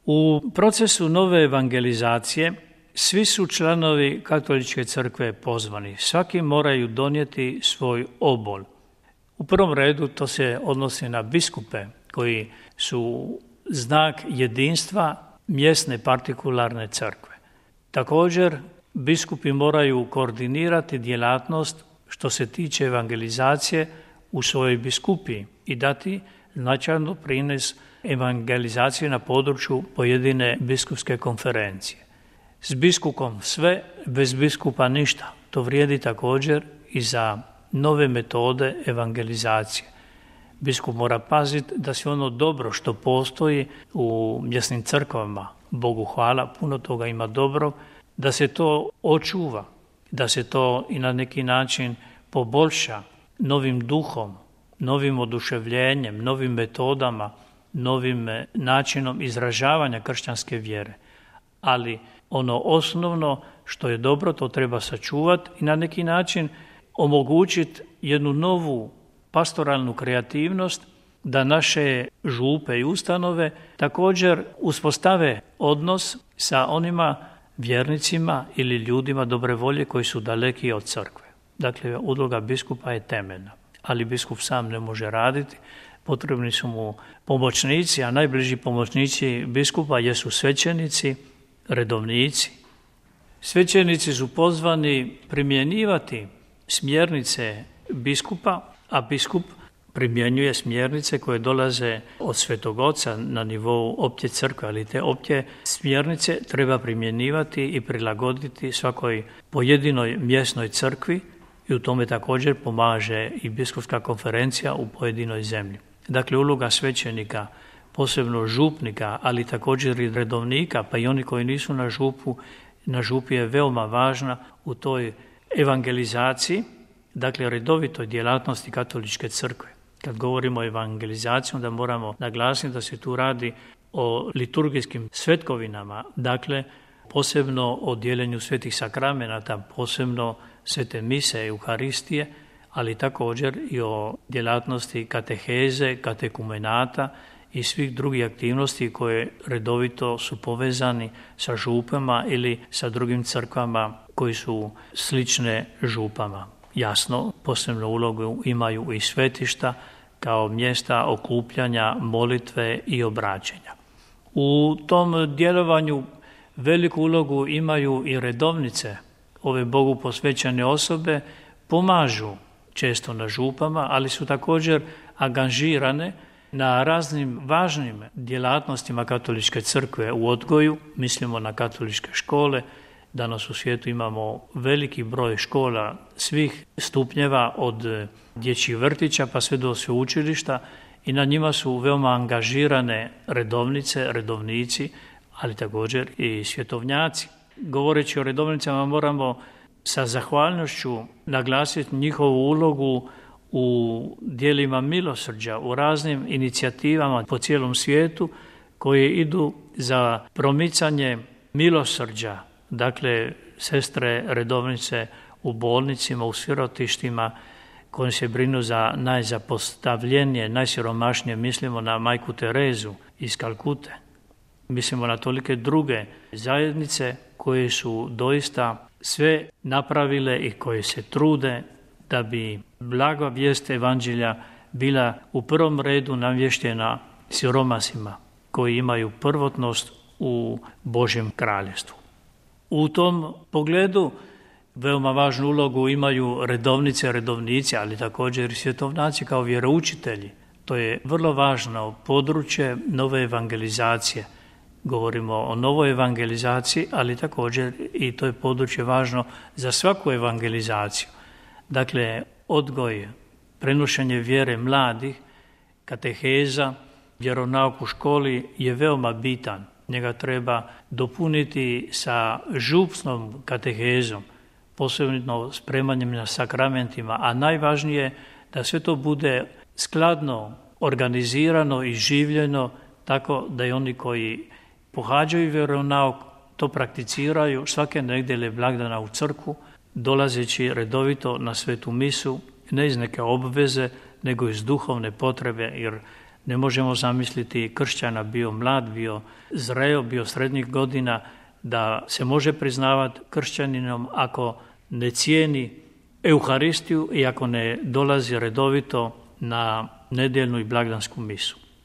U procesu nove evangelizacije svi su članovi Katoličke crkve pozvani. Svaki moraju donijeti svoj obol. U prvom redu to se odnosi na biskupe koji su znak jedinstva mjesne partikularne crkve. Također, biskupi moraju koordinirati djelatnost što se tiče evangelizacije u svojoj biskupiji i dati značajno prines evangelizacije na području pojedine biskupske konferencije. S biskupom sve, bez biskupa ništa. To vrijedi također i za nove metode evangelizacije. Biskup mora paziti da se ono dobro što postoji u mjesnim crkvama, Bogu hvala, puno toga ima dobro, da se to očuva, da se to i na neki način poboljša novim duhom, novim oduševljenjem, novim metodama, novim načinom izražavanja kršćanske vjere. Ali ono osnovno što je dobro, to treba sačuvati i na neki način omogućiti jednu novu pastoralnu kreativnost da naše župe i ustanove također uspostave odnos sa onima vjernicima ili ljudima dobre volje koji su daleki od crkve. Dakle, uloga biskupa je temeljna, ali biskup sam ne može raditi, potrebni su mu pomoćnici, a najbliži pomoćnici biskupa jesu svećenici, redovnici. Svećenici su pozvani primjenjivati smjernice biskupa, a biskup primjenjuje smjernice koje dolaze od Svetog Oca na nivou opće crkve, ali te opće smjernice treba primjenjivati i prilagoditi svakoj pojedinoj mjesnoj crkvi i u tome također pomaže i biskupska konferencija u pojedinoj zemlji. Dakle, uloga svećenika, posebno župnika, ali također i redovnika, pa i oni koji nisu na župi je veoma važna u toj evangelizaciji, dakle redovitoj djelatnosti Katoličke crkve. Kad govorimo o evangelizaciji, onda moramo naglasiti da se tu radi o liturgijskim svetkovinama, dakle posebno o dijeljenju svetih sakramenata, posebno svete mise, euharistije, ali također i o djelatnosti kateheze, katekumenata i svih drugih aktivnosti koje redovito su povezani sa župama ili sa drugim crkvama koji su slične župama. Jasno, posebnu ulogu imaju i svetišta kao mjesta okupljanja, molitve i obraćanja. U tom djelovanju veliku ulogu imaju i redovnice. Ove Bogu posvećene osobe pomažu često na župama, ali su također angažirane na raznim važnim djelatnostima Katoličke crkve u odgoju, mislimo na katoličke škole. Danas u svijetu imamo veliki broj škola svih stupnjeva od dječjih vrtića pa sve do sveučilišta i na njima su veoma angažirane redovnice, redovnici, ali također i svjetovnjaci. Govoreći o redovnicama moramo sa zahvalnošću naglasiti njihovu ulogu u djelima milosrđa, u raznim inicijativama po cijelom svijetu koje idu za promicanje milosrđa. Dakle, sestre redovnice u bolnicima, u sirotištima koji se brinu za najzapostavljenije, najsiromašnije, mislimo na majku Terezu iz Kalkute. Mislimo na tolike druge zajednice koje su doista sve napravile i koje se trude da bi blaga vijest evanđelja bila u prvom redu navještena siromasima koji imaju prvotnost u Božjem kraljevstvu. U tom pogledu veoma važnu ulogu imaju redovnice, redovnici, ali također i svjetovnaci kao vjeroučitelji. To je vrlo važno područje nove evangelizacije. Govorimo o novoj evangelizaciji, ali također i to je područje važno za svaku evangelizaciju. Dakle, odgoj, prenošenje vjere mladih, kateheza, vjeronauk u školi je veoma bitan. Njega treba dopuniti sa župsnom katehezom, posebno spremanjem na sakramentima, a najvažnije da sve to bude skladno, organizirano i življeno tako da i oni koji pohađaju vjeronauk to prakticiraju svake nedjelje blagdana u crkvu, dolazeći redovito na svetu misu, ne iz neke obveze, nego iz duhovne potrebe, jer Ne možemo zamisliti kršćana, bio mlad, bio zreo, bio srednjih godina, da se može priznavati kršćaninom ako ne cijeni Euharistiju i ako ne dolazi redovito na nedjeljnu i blagdansku misu.